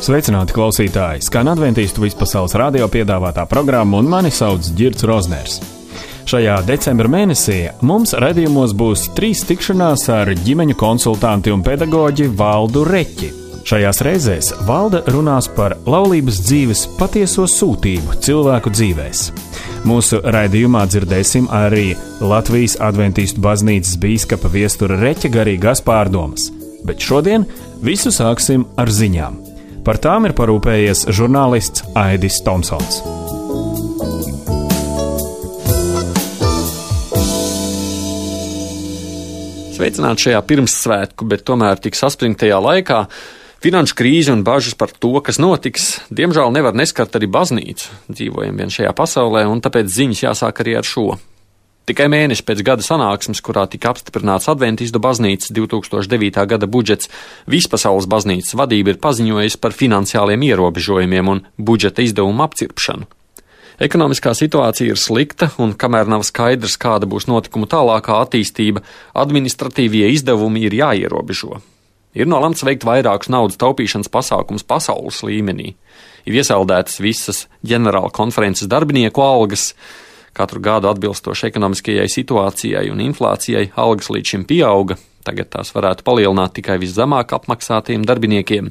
Sveicināti klausītāji! Skan Adventistu vispasaules radio piedāvātā programma un mani sauc Ģirds Rozners. Šajā decembra mēnesī mums raidījumos būs 3 tikšanās ar ģimeņu konsultanti un pedagoģi Valdu Reķi. Šajās reizēs Valde runās par laulības dzīves patieso sūtību cilvēku dzīvēs. Mūsu raidījumā dzirdēsim arī Latvijas Adventistu baznīcas bīskapa viestura Reķa garīgās pārdomas. Bet šodien visu sāksim ar ziņām. Par tām ir parūpējies žurnālists Aidis Tomsons. Sveicināti šajā pirmssvētku, bet tomēr tik saspringtajā laikā. Finanšu krīze un bažas par to, kas notiks, diemžēl nevar neskart arī baznīcu. Dzīvojam vien šajā pasaulē, un tāpēc ziņas jāsāk arī ar šo. Tikai mēneši pēc gada sanāksmes, kurā tika apstiprināts Adventistu baznīcas 2009. gada budžets, vispasaules baznīcas vadība ir paziņojusi par finansiāliem ierobežojumiem un budžeta izdevumu apcirpšanu. Ekonomiskā situācija ir slikta, un kamēr nav skaidrs, kāda būs notikumu tālākā attīstība, administratīvie izdevumi ir jāierobežo. Ir nolemts veikt vairākus naudas taupīšanas pasākumus pasaules līmenī. Ir iesaldētas visas ģenerāla konferences darbinieku algas. Katru gadu atbilstoši ekonomiskajai situācijai un inflācijai algas līdz šim pieauga. Tagad tās varētu palielināt tikai viszemāk apmaksātiem darbiniekiem.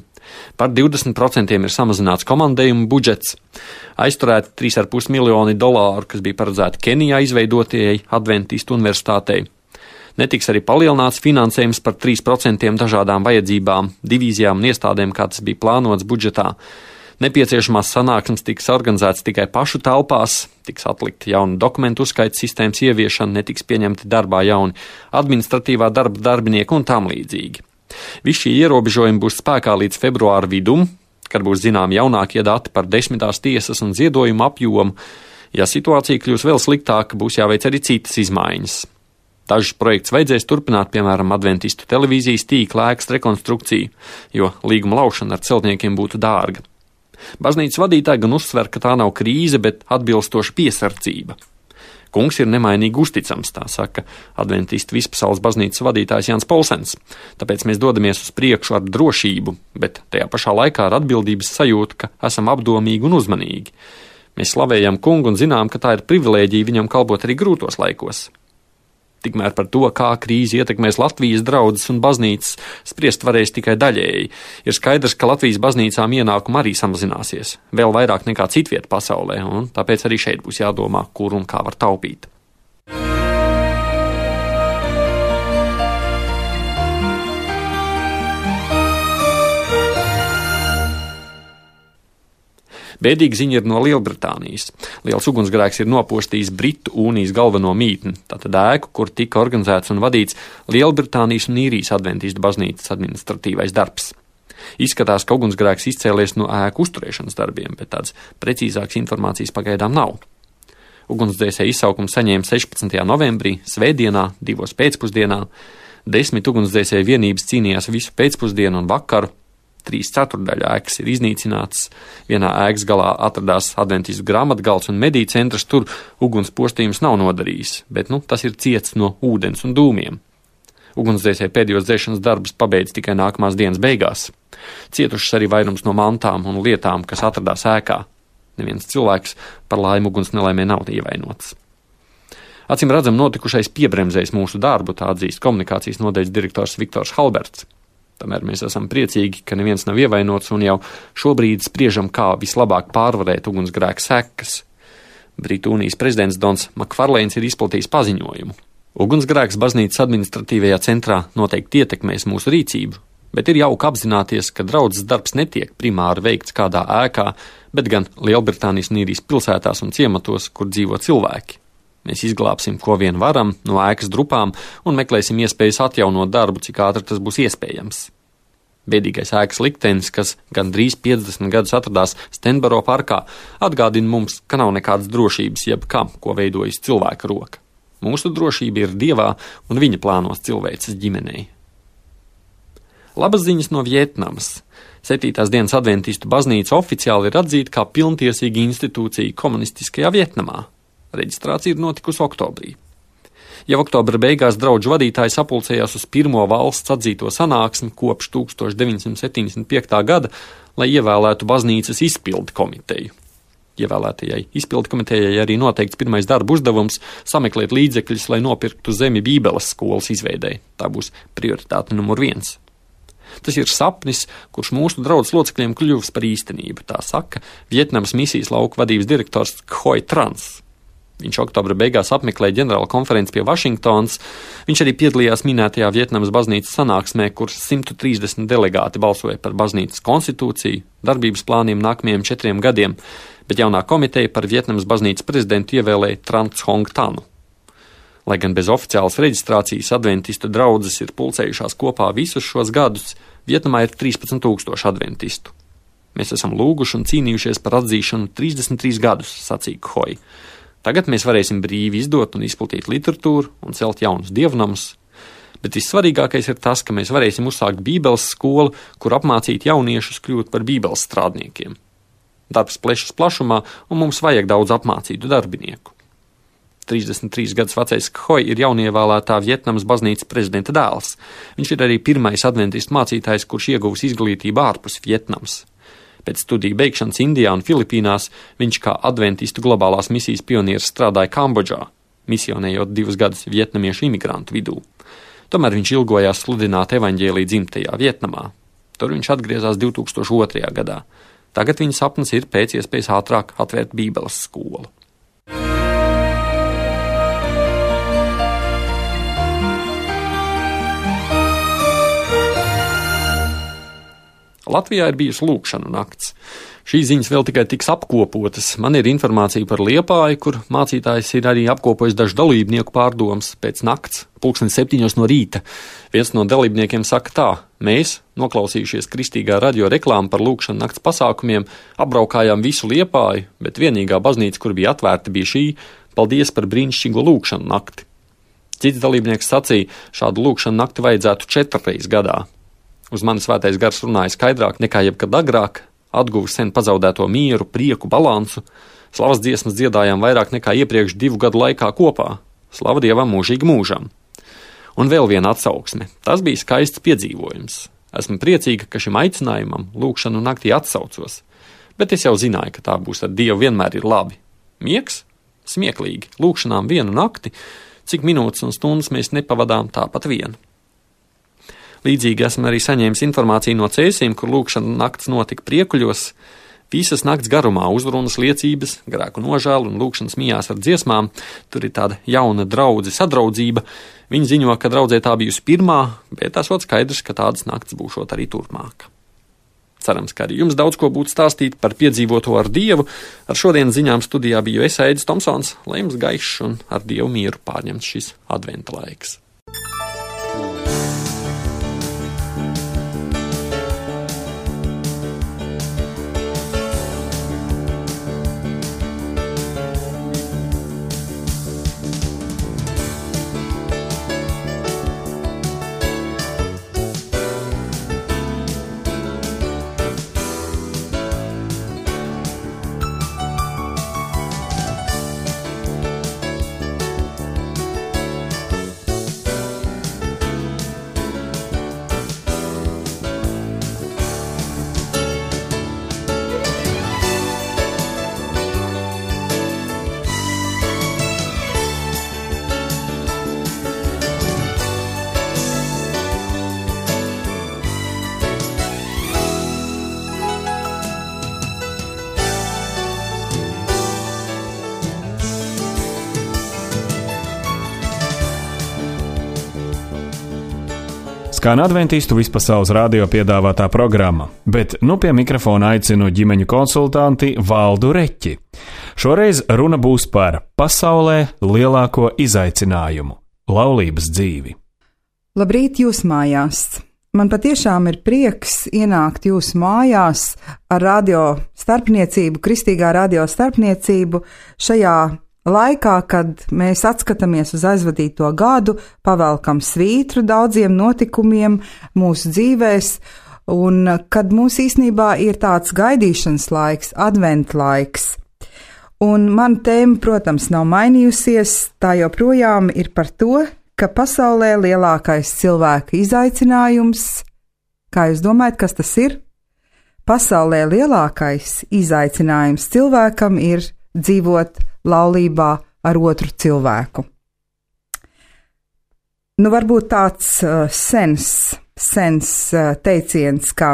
Par 20% ir samazināts komandējumu budžets. Aizturēti $3,5 miljoni, kas bija paredzēti Kenijā izveidotajai Adventistu universitātei. Netiks arī palielināts finansējums par 3% dažādām vajadzībām, divīzijām un iestādēm, kā tas bija plānots budžetā. Nepieciešamās sanāksmes tiks organizētas tikai pašu telpās, tiks atlikta jauna dokumentu uzskaita sistēmas ieviešana, netiks pieņemti darbā jauni administratīvā darba darbinieki un tam līdzīgi. Visi šie ierobežojumi būs spēkā līdz februāra vidum, kad būs zinām jaunākie dati par 10. tiesas un ziedojumu apjomu. Ja situācija kļūs vēl sliktāka, būs jāveic arī citas izmaiņas. Dažus projektus vajadzēs turpināt, piemēram, Adventistu televīzijas tīkla ēkas rekonstrukciju, jo līguma laušana ar celtniekiem būtu dārga. Baznīcas vadītāji gan uzsver, ka tā nav krīze, bet atbilstoša piesardzība. Kungs ir nemainīgi uzticams, tā saka Adventistu vispasaules baznīcas vadītājs Jānis Polsens. Tāpēc mēs dodamies uz priekšu ar drošību, bet tajā pašā laikā ar atbildības sajūtu, ka esam apdomīgi un uzmanīgi. Mēs slavējam Kungu un zinām, ka tā ir privilēģija viņam kalpot arī grūtos laikos. Tikmēr par to, kā krīze ietekmēs Latvijas draudzes un baznīcas, spriest varēs tikai daļēji. Ir skaidrs, ka Latvijas baznīcām ienākumi arī samazināsies, vēl vairāk nekā citviet pasaulē, un tāpēc arī šeit būs jādomā, kur un kā var taupīt. Bēdīga ziņa ir no Lielbritānijas. Liels ugunsgrēks ir nopostījis Britu Unijas galveno mītni, tātad ēku, kur tika organizēts un vadīts Lielbritānijas un Īrijas Adventistu baznīcas administratīvais darbs. Izskatās, ka ugunsgrēks izcēlies no ēku uzturēšanas darbiem, bet tādas precīzākas informācijas pagaidām nav. Ugunsdzēsēju izsaukumu saņēma 16. novembrī, svētdienā, 2. pēcpusdienā. 10 ugunsdzēsēju vienības cīnījās visu pēcpusdienu un vakaru. 3/4 ēkas ir iznīcināts. Vienā ēkas galā atradās Adventistu grāmatgals un mediju centrs, tur uguns postījums nav nodarījis, bet tas ir ciets no ūdens un dūmiem. Ugunsdzēsēji pēdējos dzēšanas darbus pabeidz tikai nākamās dienas beigās. Cietušas arī vairums no mantām un lietām, kas atradās ēkā. Neviens cilvēks par laimi uguns nelaimē nav ievainots. Acīm redzam, notikušais piebremzēs mūsu darbu, tā atzīst komunikācijas nodaļas direktors Viktors Halberts. Tomēr mēs esam priecīgi, ka neviens nav ievainots un jau šobrīd spriežam, kā vislabāk pārvarēt ugunsgrēka sekas. Britu Unijas prezidents Dons Makfarlēns ir izplatījis paziņojumu. Ugunsgrēks baznīcas administratīvajā centrā noteikti ietekmēs mūsu rīcību, bet ir jauki apzināties, ka draudzes darbs netiek primāri veikts kādā ēkā, bet gan Lielbritānijas un Īrijas pilsētās un ciematos, kur dzīvo cilvēki. Mēs izglābsim, ko vien varam, no ēkas drupām un meklēsim iespējas atjaunot darbu, cik ātri tas būs iespējams. Bēdīgais ēkas liktenis, kas gandrīz 50 gadus atradās Stenboro parkā, atgādina mums, ka nav nekādas drošības jebkam, ko veidojas cilvēka roka. Mūsu drošība ir Dievā un viņa plānos cilvēces ģimenei. Labas ziņas no Vietnamas. 7. dienas Adventistu baznīca oficiāli ir atzīta kā pilntiesīga institūcija komunistiskajā Vietnamā. Reģistrācija ir notikusi oktobrī. Jau oktobra beigās draugu vadītāji sapulcējās uz pirmo valsts atzīto sanāksmi kopš 1975. gada, lai ievēlētu baznīcas izpildi komiteju. Ievēlētajai izpildu komitejai arī noteikts pirmais darba uzdevums sameklēt līdzekļus, lai nopirktu zemi Bībeles skolas izveidei. Tā būs prioritāte numur 1. Tas ir sapnis, kurš mūsu draudzes locekļiem kļuvis par īstenību, tā saka Vietnamas misijas lauku vadības direktors Khoi Trans. Viņš oktobra beigās apmeklēja ģenerāla konferenci pie Vašingtonas. Viņš arī piedalījās minētajā Vietnamas baznīcas sanāksmē, kur 130 delegāti balsoja par baznīcas konstitūciju, darbības plāniem nākamajiem 4 gadiem, bet jaunā komiteja par Vietnamas baznīcas prezidentu ievēlēja Trans Hong Tanu. Lai gan bez oficiālas reģistrācijas adventistu draudzes ir pulcējušās kopā visus šos gadus, Vietnamā ir 13,000 adventistu. Mēs esam lūguši un cīnījušies par atzīšanu 33 gadus, sacīja Khoi. Tagad mēs varēsim brīvi izdot un izplatīt literatūru un celt jaunus dievnamus, bet vissvarīgākais ir tas, ka mēs varēsim uzsākt Bībeles skolu, kur apmācīt jauniešus kļūt par Bībeles strādniekiem. Darbs plešas plašumā, un mums vajag daudz apmācītu darbinieku. 33 gadus vecais Khoi ir jaunievēlētā Vietnamas baznīcas prezidenta dēls. Viņš ir arī pirmais adventistu mācītājs, kurš ieguvis izglītību ārpus Vietnamas. Pēc studiju beigšanas Indijā un Filipīnās viņš kā adventistu globālās misijas pionieris strādāja Kambodžā, misionējot 2 gadus vietnamiešu imigrantu vidū. Tomēr viņš ilgojās sludināt evaņģēliju dzimtajā Vietnamā. Tur viņš atgriezās 2002. gadā. Tagad viņa sapnis ir pēc iespējas ātrāk atvērt Bībeles skolu. Latvijā ir bijusi lūkšanu nakts. Šīs ziņas vēl tikai tiks apkopotas. Man ir informācija par Liepāju, kur mācītājs ir arī apkopojis dažu dalībnieku pārdomas pēc nakts, 7:00 no rīta. Viens no dalībniekiem saka tā: mēs, noklausījušies kristīgā radio reklāmu par lūkšanu nakts pasākumiem, apbraukājām visu Liepāju, bet vienīgā baznīca, kur bija atvērta, bija šī. Paldies par brīnišķīgo lūkšanu nakti. Cits dalībnieks sacīja, šādu lūkšanu nakti vajadzētu 4 reizes gadā. Uz mani svētais gars runāja skaidrāk nekā jebkad agrāk, atguvis sen pazaudēto mieru, prieku, balansu. Slavas dziesmas dziedājām vairāk nekā iepriekš 2 gadu laikā kopā. Slava Dievam mūžīgi mūžam. Un vēl viena atsauksme. Tas bija skaists piedzīvojums. Esmu priecīga, ka šim aicinājumam lūkšanu naktī atsaucos. Bet es jau zināju, ka tā būs ar Dievu vienmēr ir labi. Miegs? Smieklīgi. Lūkšanām 1 nakti. Cik minūtes un stundas mēs nepavadām tāpat vien. Līdzīgi esmu arī saņēmis informāciju no Cēsīm, kur lūkšana nakts notika Priekuļos. Visas nakts garumā uzrunas liecības, grēku nožēlu un lūkšanas mijās ar dziesmām. Tur ir tāda jauna draudze sadraudzība. Viņi ziņo, ka draudzē tā bijusi pirmā, bet esot skaidrs, ka tādas nakts būšot arī turpmāk. Cerams, ka arī jums daudz ko būtu stāstīt par piedzīvoto ar Dievu. Ar šodienas ziņām studijā biju es, Aidis Tomsons, lai jums gaišs un ar Dievu mieru pārņemts šis adventa laiks. Skan adventistu vispasaules radio piedāvātā programma, bet nu pie mikrofona aicinu ģimeņu konsultanti Valdu Reķi. Šoreiz runa būs par pasaulē lielāko izaicinājumu – laulības dzīvi. Labrīt jūs mājās! Man patiešām ir prieks ienākt jūsu mājās ar radio starpniecību, kristīgā radio starpniecību šajā laikā, kad mēs atskatāmies uz aizvadīto gadu, pavelkam svītru daudziem notikumiem mūsu dzīvēs, un kad mums īstenībā ir tāds gaidīšanas laiks, adventa laiks. Un man tēma, protams, nav mainījusies, tā joprojām ir par to, ka pasaulē lielākais cilvēka izaicinājums, kā jūs domājat, kas tas ir? Pasaulē lielākais izaicinājums cilvēkam ir dzīvot laulībā ar otru cilvēku. Varbūt tāds sens teiciens kā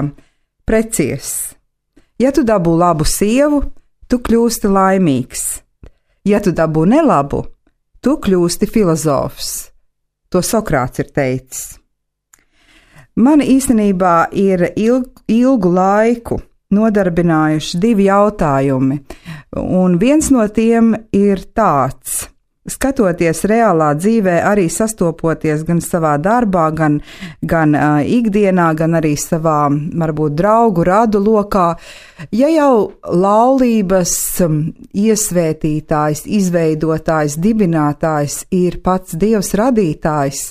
precies. Ja tu dabū labu sievu, tu kļūsti laimīgs. Ja tu dabū nelabu, tu kļūsti filozofs. To Sokrāts ir teicis. Man īstenībā ir ilgu laiku nodarbinājuši 2 jautājumi, un viens no tiem ir tāds. Skatoties reālā dzīvē, arī sastopoties gan savā darbā, gan ikdienā, gan arī savā, varbūt, draugu radu lokā, ja jau laulības iesvētītājs, izveidotājs, dibinātājs ir pats Dievs radītājs,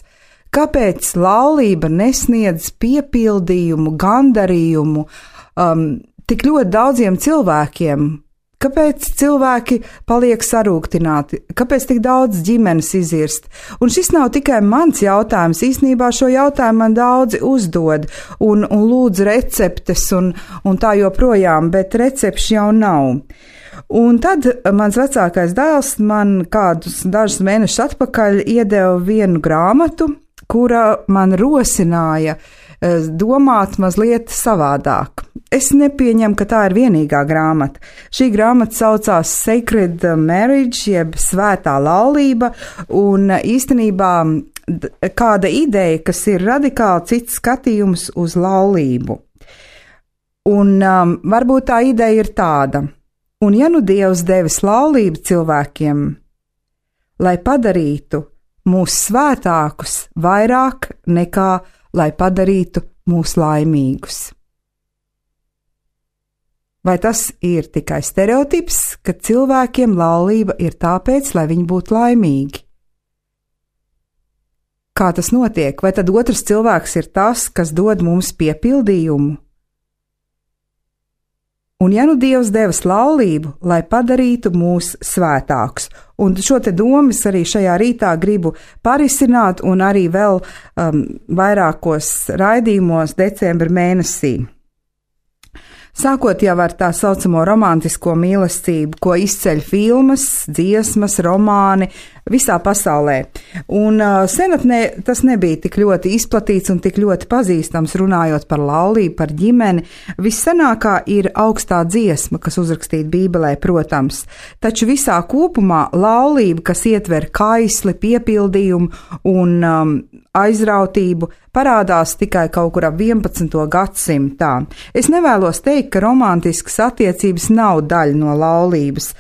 kāpēc laulība nesniedz piepildījumu, gandarījumu tik ļoti daudziem cilvēkiem? Kāpēc cilvēki paliek sarūktināti? Kāpēc tik daudz ģimenes izirst? Un šis nav tikai mans jautājums. Īsnībā šo jautājumu man daudzi uzdod un lūdz receptes un tā joprojām, bet recepšu jau nav. Un tad mans vecākais dēls man dažus mēnešus atpakaļ iedeva vienu grāmatu, kura man rosināja domāt mazliet savādāk. Es nepieņemu, ka tā ir vienīgā grāmata. Šī grāmata saucās Sacred Marriage, jeb svētā laulība, un īstenībā kāda ideja, kas ir radikāli cits skatījums uz laulību. Un varbūt tā ideja ir tāda. Un ja nu Dievs devis laulību cilvēkiem, lai padarītu mūs svētākus vairāk nekā lai padarītu mūs laimīgus. Vai tas ir tikai stereotips, ka cilvēkiem laulība ir tāpēc, lai viņi būtu laimīgi? Kā tas notiek? Vai tad otrs cilvēks ir tas, kas dod mums piepildījumu? Un ja nu Dievs devis laulību, lai padarītu mūs svētākus, un šo te domas arī šajā rītā gribu parisināt un arī vēl vairākos raidījumos decembra mēnesī. Sākot jau ar tā saucamo romantisko mīlestību, ko izceļ filmas, dziesmas, romāni visā pasaulē. Un senatnē tas nebija tik ļoti izplatīts un tik ļoti pazīstams, runājot par laulību, par ģimeni. Vissenākā ir augstā dziesma, kas uzrakstīta Bībelē, protams. Taču visā kopumā laulība, kas ietver kaisli, piepildījumu un aizrautību, parādās tikai kaut kur ap 11. gadsimtā. Es nevēlos teikt, ka romantiskas attiecības nav daļa no laulības,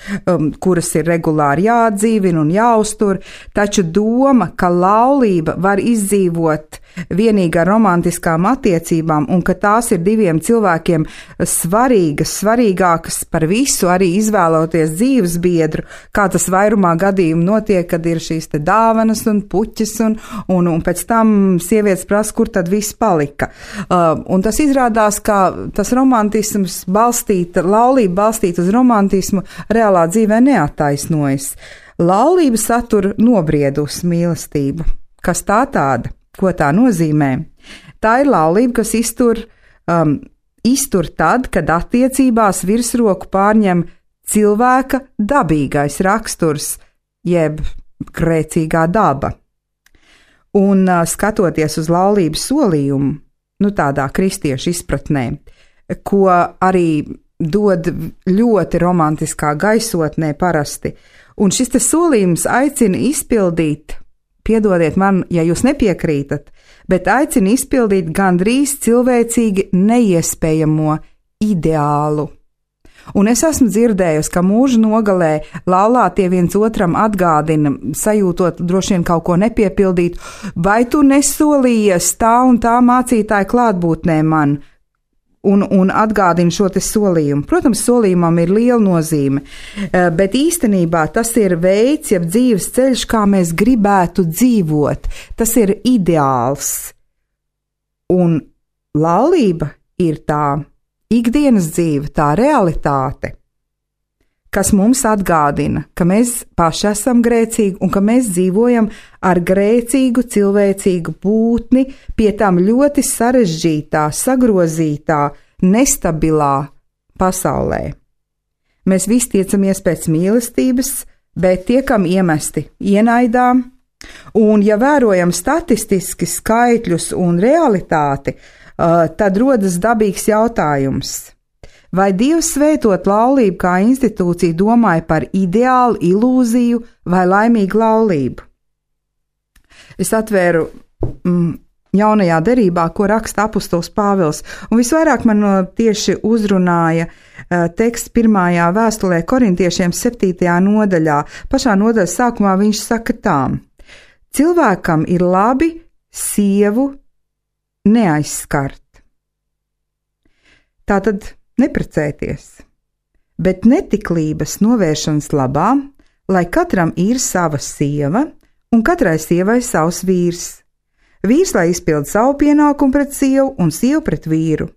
kuras ir regulāri jāatdzīvina un jāuztur, taču doma, ka laulība var izdzīvot vienīgi ar romantiskām attiecībām un ka tās ir diviem cilvēkiem svarīgākas par visu, arī izvēloties dzīves biedru, kā tas vairumā gadījumu notiek, kad ir šīs te dāvanas un puķis un pēc tam sievietes prasa, kur tad viss palika. Un tas izrādās, ka tas romantisms laulība balstīta uz romantismu reālā dzīvē neattaisnojas. Laulība satur nobriedus mīlestību. Kas tā tāda? Ko tā nozīmē? Tā ir laulība, kas iztur tad, kad attiecībās virsroku pārņem cilvēka dabīgais raksturs, jeb grēcīgā daba. Un skatoties uz laulības solījumu, tādā kristiešu izpratnē, ko arī dod ļoti romantiskā gaisotnē parasti, un šis te solījums aicina izpildīt, piedodiet man, ja jūs nepiekrītat, bet aicina izpildīt gandrīz cilvēcīgi neiespējamo ideālu. Un es esmu dzirdējusi, ka mūža nogalē laulātie viens otram atgādina, sajūtot droši vien kaut ko nepiepildīt, vai tu nesolījies tā un tā mācītāja klātbūtnē man, un atgādina šo te solījumu. Protams, solījumam ir liela nozīme, bet īstenībā tas ir veids, jeb dzīves ceļš, kā mēs gribētu dzīvot. Tas ir ideāls. Un laulība ir tā ikdienas dzīve, tā realitāte. kas mums atgādina, ka mēs paši esam grēcīgi un ka mēs dzīvojam ar grēcīgu cilvēcīgu būtni, pie tam ļoti sarežģītā, sagrozītā, nestabilā pasaulē. Mēs visi tiecamies pēc mīlestības, bet tiekam iemesti ienaidā, un ja vērojam statistiski skaitļus un realitāti, tad rodas dabīgs jautājums. Vai Dievs svētot laulību kā institūciju domāja par ideālu, ilūziju vai laimīgu laulību? Es atvēru jaunajā derībā, ko raksta apustulis Pāvils, un visvairāk man tieši uzrunāja teksts 1. vēstulē korintiešiem 7. nodaļā. Pašā nodaļas sākumā viņš saka tā: cilvēkam ir labi sievu neaizskart. Tātad neprecēties, bet netiklības novēršanas labā, lai katram ir sava sieva un katrai sievai savs vīrs. Vīrs, lai izpild savu pienākumu pret sievu un sievu pret vīru.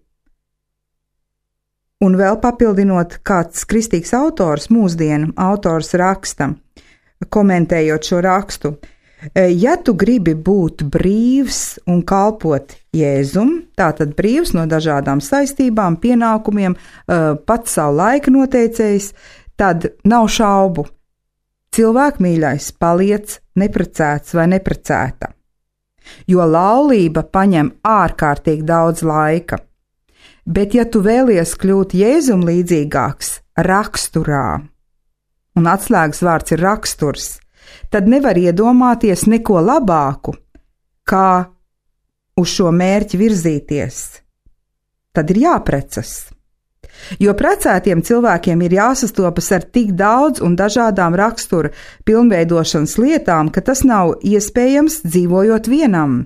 Un vēl papildinot, kāds kristīgs autors, mūsdienu autors raksta, komentējot šo rakstu: ja tu gribi būt brīvs un kalpot Jēzum, tātad brīvs no dažādām saistībām, pienākumiem, pats savu laiku noteicējis, tad nav šaubu. Cilvēku mīļais, paliec neprecēts vai neprecēta, jo laulība paņem ārkārtīgi daudz laika. Bet ja tu vēlies kļūt Jēzum līdzīgāks raksturā, un atslēgas vārds ir raksturs, tad nevar iedomāties neko labāku, kā uz šo mērķi virzīties. Tad ir jāprecas. Jo precētiem cilvēkiem ir jāsastopas ar tik daudz un dažādām rakstura pilnveidošanas lietām, ka tas nav iespējams dzīvojot vienam.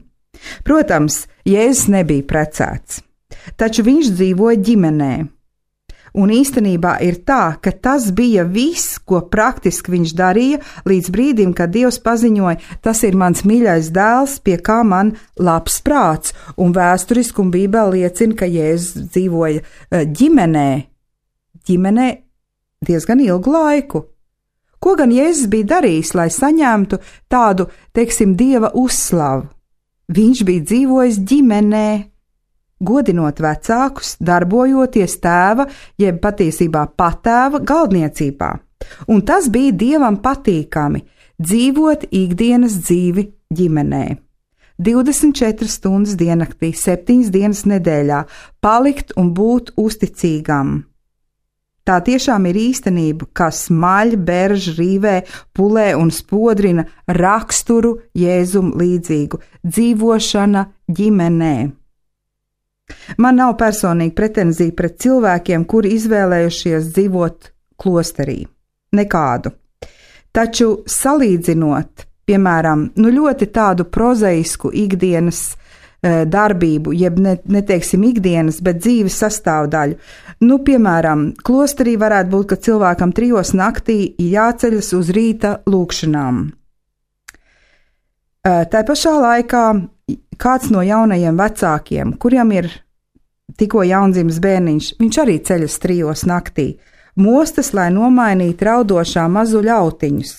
Protams, Jēzus nebija precēts, taču viņš dzīvoja ģimenē. Un īstenībā ir tā, ka tas bija viss, ko praktiski viņš darīja līdz brīdim, kad Dievs paziņoja: tas ir mans mīļais dēls, pie kā man labs prāts, un vēsturiski un Bībele liecina, ka Jēzus dzīvoja ģimenē diezgan ilgu laiku. Ko gan Jēzus bija darījis, lai saņemtu tādu, teiksim, Dieva uzslavu? Viņš bija dzīvojis ģimenē, godinot vecākus, darbojoties tēva, jeb patiesībā patēva galdniecībā. Un tas bija Dievam patīkami – dzīvot ikdienas dzīvi ģimenē. 24 stundas diennaktī, 7 dienas nedēļā, palikt un būt uzticīgam. Tā tiešām ir īstenība, kas maļ, berž, rīvē, pulē un spodrina raksturu Jēzum līdzīgu – dzīvošana ģimenē. Man nav personīgi pretenzija pret cilvēkiem, kuri izvēlējušies dzīvot klosterī. Nekādu. Taču salīdzinot, piemēram, ļoti tādu prozaisku ikdienas darbību, jeb neteiksim ikdienas, bet dzīves sastāvdaļu. Piemēram, klosterī varētu būt, ka cilvēkam 3 naktī jāceļas uz rīta lūkšanām. Tā pašā laikā kāds no jaunajiem vecākiem, kuriem ir tikko jaundzimis bērniņš, viņš arī ceļas 3 naktī, mostas, lai nomainītu raudošā mazuļa autiņus.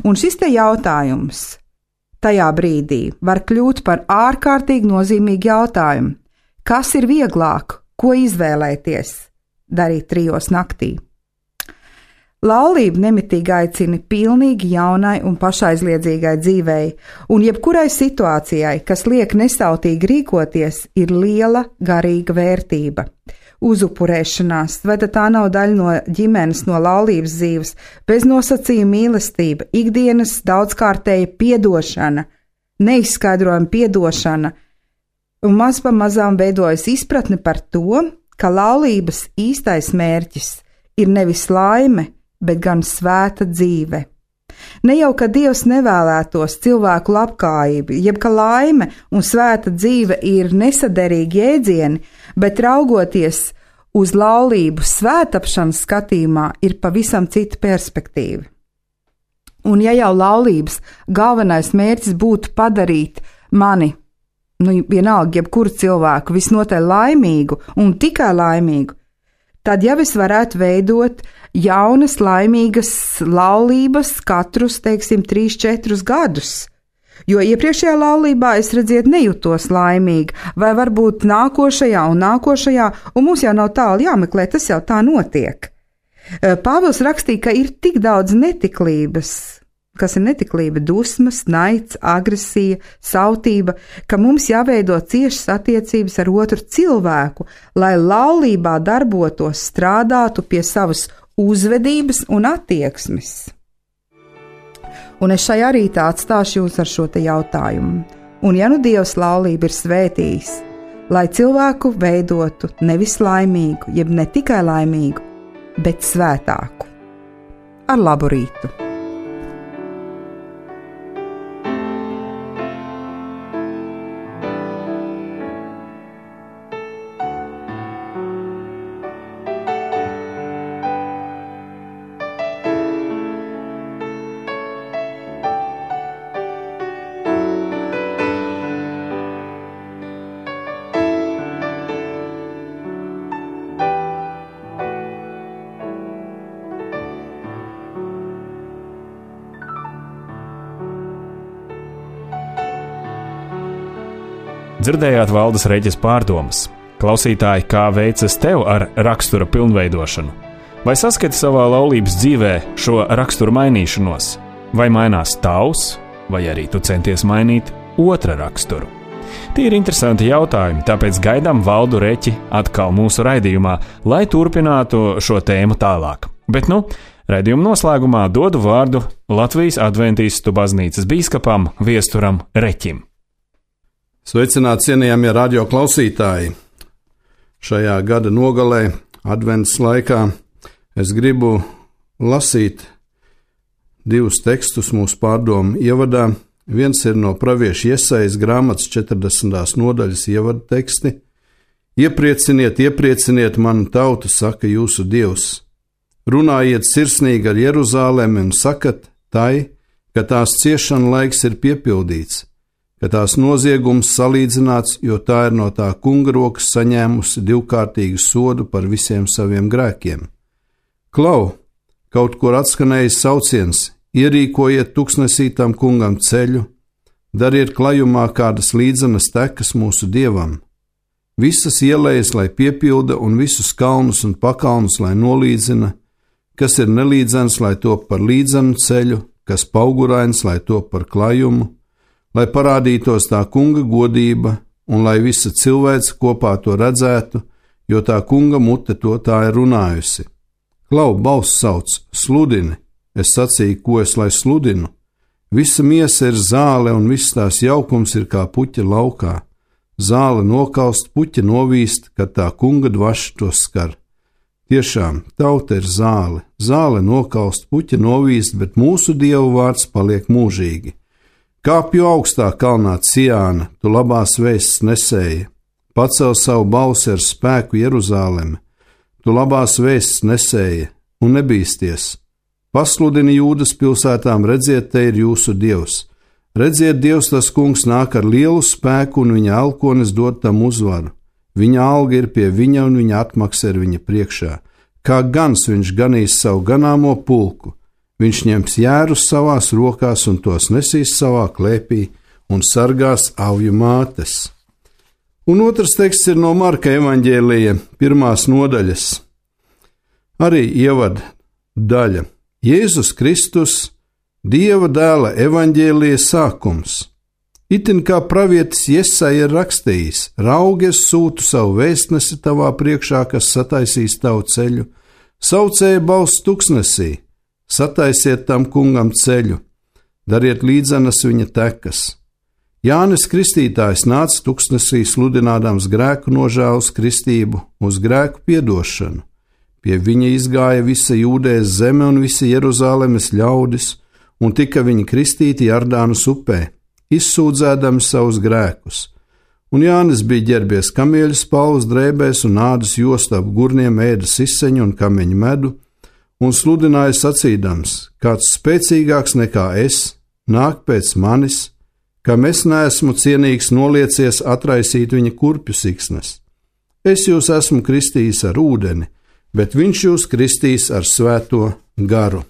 Un šis te jautājums tajā brīdī var kļūt par ārkārtīgi nozīmīgu jautājumu. Kas ir vieglāk, ko izvēlēties darīt 3 naktī? Laulība nemitīgi aicina pilnīgi jaunai un pašaizliedzīgai dzīvei, un jebkurai situācijai, kas liek nesautīgi rīkoties, ir liela garīga vērtība. Uzupurēšanās, vai tā nav daļa no ģimenes, no laulības dzīves, beznosacījuma mīlestība, ikdienas daudzkārtēja piedošana, neizskaidrojama piedošana, un maz pa mazām veidojas izpratne par to, ka laulības īstais mērķis ir nevis laime, bet gan svēta dzīve. Ne jau, ka Dievs nevēlētos cilvēku labklājību, jeb ka laime un svēta dzīve ir nesaderīgi jēdzieni, bet raugoties uz laulību svētapšanas skatījumā ir pavisam cita perspektīva. Un ja jau laulības galvenais mērķis būtu padarīt mani, vienalga jebkuru cilvēku, visnotaļ laimīgu un tikai laimīgu, tad jau es varētu veidot jaunas, laimīgas laulības katrus, 3-4 gadus. Jo iepriekšējā laulībā es nejūtos laimīga, vai varbūt nākošajā, un mums jau nav tālu jāmeklē, tas jau tā notiek. Pāvils rakstīja, ka ir tik daudz netiklības, kas ir netiklība, dusmas, naids, agresija, sautība, ka mums jāveido ciešas attiecības ar otru cilvēku, lai laulībā darbotos, strādātu pie savas uzvedības un attieksmes. Un es šajā rītā atstāšu jūs ar šo te jautājumu. Un ja nu Dievs laulību ir svētījis, lai cilvēku veidotu nevis laimīgu, jeb ne tikai laimīgu, bet svētāku. Ar labu rītu! Dzirdējāt Valdes Reģes pārdomas. Klausītāji, kā veicas tev ar rakstura pilnveidošanu? Vai saskati savā laulības dzīvē šo raksturu mainīšanos? Vai mainās tavs, vai arī tu centies mainīt otra raksturu? Tie ir interesanti jautājumi, tāpēc gaidām Valdu Reķi atkal mūsu raidījumā, lai turpinātu šo tēmu tālāk. Bet raidījuma noslēgumā dodu vārdu Latvijas Adventistu baznīcas bīskapam Viesturam Reķim. Sveicināti cienījamie radio klausītāji! Šajā gada nogalē, advents laikā, es gribu lasīt 2 tekstus mūsu pārdomu ievadā. Viens ir no pravieša Jesajas grāmatas 40. nodaļas ievada teksti. Ieprieciniet, ieprieciniet manu tautu, saka jūsu Dievs. Runājiet sirsnīgi ar Jeruzālemi un sakat tai, ka tās ciešana laiks ir piepildīts, ka tās noziegums salīdzināts, jo tā ir no tā kunga rokas saņēmusi 2-kārtīgu sodu par visiem saviem grēkiem. Klau, kaut kur atskanējis sauciens, ierīkojiet tuksnesītam kungam ceļu, dariet klajumā kādas līdzenas tekas mūsu dievam. Visas ielejas, lai piepilda, un visus kalnus un pakalnus, lai nolīdzina, kas ir nelīdzens, lai top par līdzenu ceļu, kas paugurains, lai top par klajumu, lai parādītos tā kunga godība, un lai visa cilvēce kopā to redzētu, jo tā kunga mute to tā ir runājusi. Klau, balss sauc, sludini, es sacīju, ko es lai sludinu. Visa miesa ir zāle, un viss tās jaukums ir kā puķa laukā. Zāle nokalst, puķa novīst, kad tā kunga dvaša to skar. Tiešām, tauta ir zāle, zāle nokalst, puķa novīst, bet mūsu Dievu vārds paliek mūžīgi. Kāpju augstā kalnā Ciāna, tu labās vēsts nesēji, pacel savu balsi ar spēku Jeruzālemi, tu labās vēsts nesēji un nebīsties. Pasludini Jūdas pilsētām, redziet, te ir jūsu Dievs. Redziet, Dievs tas kungs nāk ar lielu spēku un viņa elkonis dod tam uzvaru. Viņa alga ir pie viņa un viņa atmaksa ir viņa priekšā. Kā gans viņš ganīs savu ganāmo pulku. Viņš ņems jērus savās rokās un tos nesīs savā klēpī un sargās avju mātes. Un otrs teksts ir no Marka evaņģēlija 1. nodaļas. Arī ievad daļa. Jēzus Kristus, Dieva dēla evaņģēlija sākums. Itin kā pravietis Jesaja ir rakstījis, raugi es sūtu savu vēstnesi tavā priekšā, kas sataisīs tavu ceļu, saucēja balss tuksnesī. Sataisiet tam kungam ceļu, dariet līdzenas viņa tekas. Jānis Kristītājs nāca tuksnesī sludinādams grēku nožēlas kristību uz grēku piedošanu. Pie viņa izgāja visa Jūdējas zeme un visa Jeruzālemes ļaudis, un tika viņi kristīti Jardānas upē, izsūdzēdami savus grēkus. Un Jānis bija ģērbies kamieļu spalvas drēbēs un ādas jostu ap gurniem ēda siseņu un kameņu medu, un sludināja sacīdams, kāds spēcīgāks nekā es, nāk pēc manis, kam es neesmu cienīgs noliecies atraisīt viņa kurpju siksnes. Es jūs esmu kristījis ar ūdeni, bet viņš jūs kristīs ar svēto garu.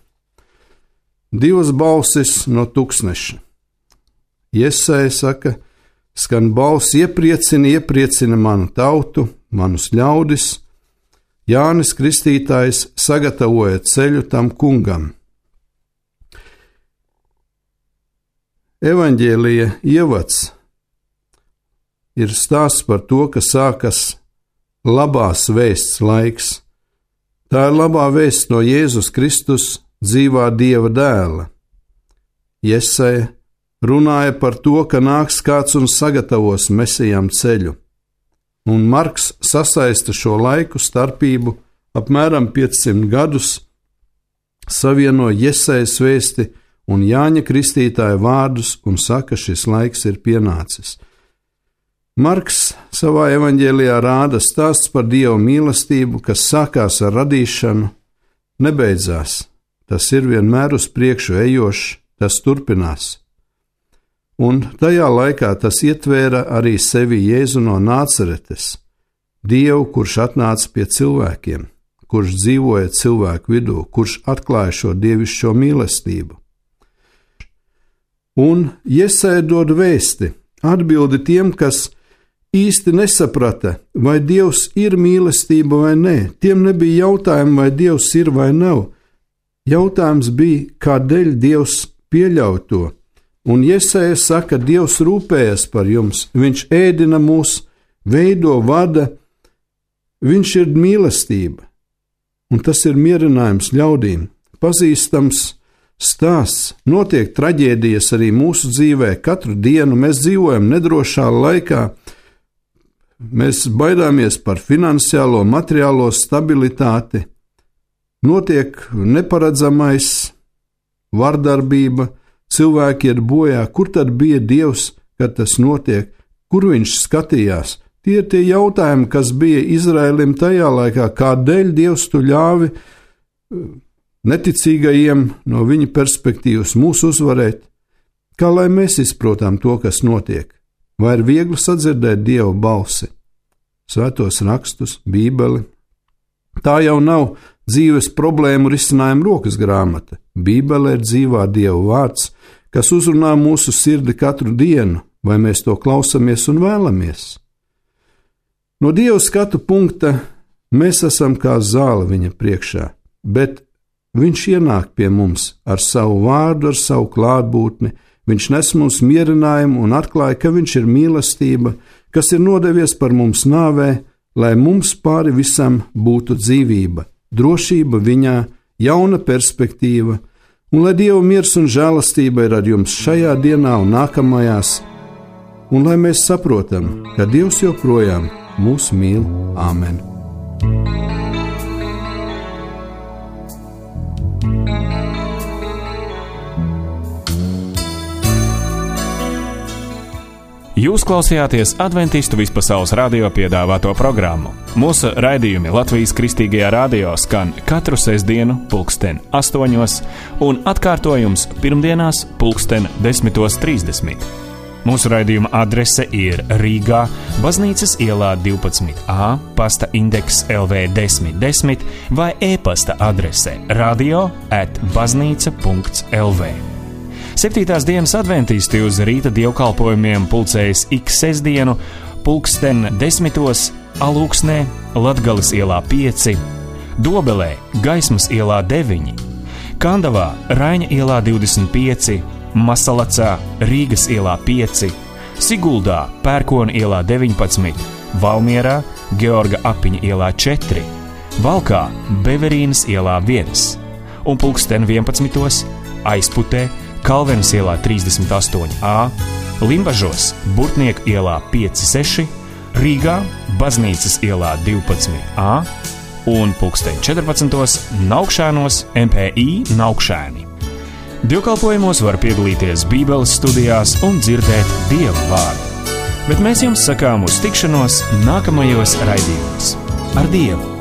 2 balsis no tūkstneša. Jesaja saka, skan balss iepriecina manu tautu, manus ļaudis. Jānis Kristītājs sagatavoja ceļu tam kungam. Evaņģēlija ievads ir stāsts par to, ka sākas labās vēsts laiks. Tā ir labā vēsts no Jēzus Kristus, dzīvā Dieva dēla. Jesaja runāja par to, ka nāks kāds un sagatavos Mesijam ceļu. Un Marks sasaista šo laiku starpību apmēram 500 gadus, savieno Jesajas vēsti un Jāņa Kristītāja vārdus un saka, šis laiks ir pienācis. Marks savā evaņģēlijā rāda stāsts par Dieva mīlestību, kas sākās ar radīšanu, nebeidzās. Tas ir vienmēr uz priekšu ejošs, tas turpinās. Un tajā laikā tas ietvēra arī sevi Jēzu no Nācaretes, Dievu, kurš atnāca pie cilvēkiem, kurš dzīvoja cilvēku vidū, kurš atklāja šo dievišķo mīlestību. Un Jesaja dod vēsti, atbildi tiem, kas īsti nesaprata, vai Dievs ir mīlestība vai nē. Tiem nebija jautājumu, vai Dievs ir vai nav. Jautājums bija, kādēļ Dievs pieļauj to. Un Jesaja saka, Dievs rūpējas par jums, viņš ēdina mūs, veido, vada, viņš ir mīlestība. Un tas ir mierinājums ļaudīm, pazīstams stāsts, notiek traģēdijas arī mūsu dzīvē, katru dienu mēs dzīvojam nedrošā laikā, mēs baidāmies par finansiālo, materiālo stabilitāti, notiek neparedzamais, vardarbība, cilvēki iet bojā. Kur tad bija Dievs, kad tas notiek? Kur viņš skatījās? Tie ir tie jautājumi, kas bija Izraēlim tajā laikā. Kādēļ Dievs tu ļāvi neticīgajiem no viņa perspektīvas mūs uzvarēt? Kā lai mēs izprotam to, kas notiek? Vai ir viegli sadzirdēt Dieva balsi? Svētos rakstus, Bībeli. Tā jau nav dzīves problēmu risinājuma rokas grāmata. Bībele ir dzīvā Dieva vārds, kas uzrunā mūsu sirdi katru dienu, vai mēs to klausamies un vēlamies. No Dieva skatu punkta mēs esam kā zāle viņa priekšā, bet viņš ienāk pie mums ar savu vārdu, ar savu klātbūtni, viņš nes mums mierinājumu un atklāja, ka viņš ir mīlestība, kas ir nodevies par mums nāvē, lai mums pāri visam būtu dzīvība, drošība viņā, jauna perspektīva, un lai Dieva miers un žēlastība ir ar jums šajā dienā un nākamajās, un lai mēs saprotam, ka Dievs joprojām mūs mīl. Āmen! Jūs klausījāties Adventistu vispasaules radio piedāvāto programmu. Mūsu raidījumi Latvijas Kristīgajā radio skan katru sestdienu 8:00 un atkārtojums pirmdienās 10:30. Mūsu raidījuma adrese ir Rīgā, Baznīcas ielā 12A, pasta indeks LV 1010 vai e-pasta adrese radio@baznīca.lv. 7. dienas adventisti uz rīta dievkalpojumiem pulcējas ik sestdienu 10:00 Alūksnē, Latgales ielā 5, Dobelē, Gaismas ielā 9, Kandavā, Raiņa ielā 25, Masalacā, Rīgas ielā 5, Siguldā, Pērkona ielā 19, Valmierā, Georga Apiņa ielā 4, Valkā, Beverīnas ielā 1 un 11:00 Aizputē, Kalvenes ielā 38A, Limbažos, Burtnieku ielā 5-6, Rīgā, Baznīcas ielā 12A un 14:00 Naukšēnos, MPI Naukšēni. Dievkalpojumos var piedalīties Bībeles studijās un dzirdēt Dieva vārdu. Bet mēs jums sakām uz tikšanos nākamajos raidījumos. Ar Dievu!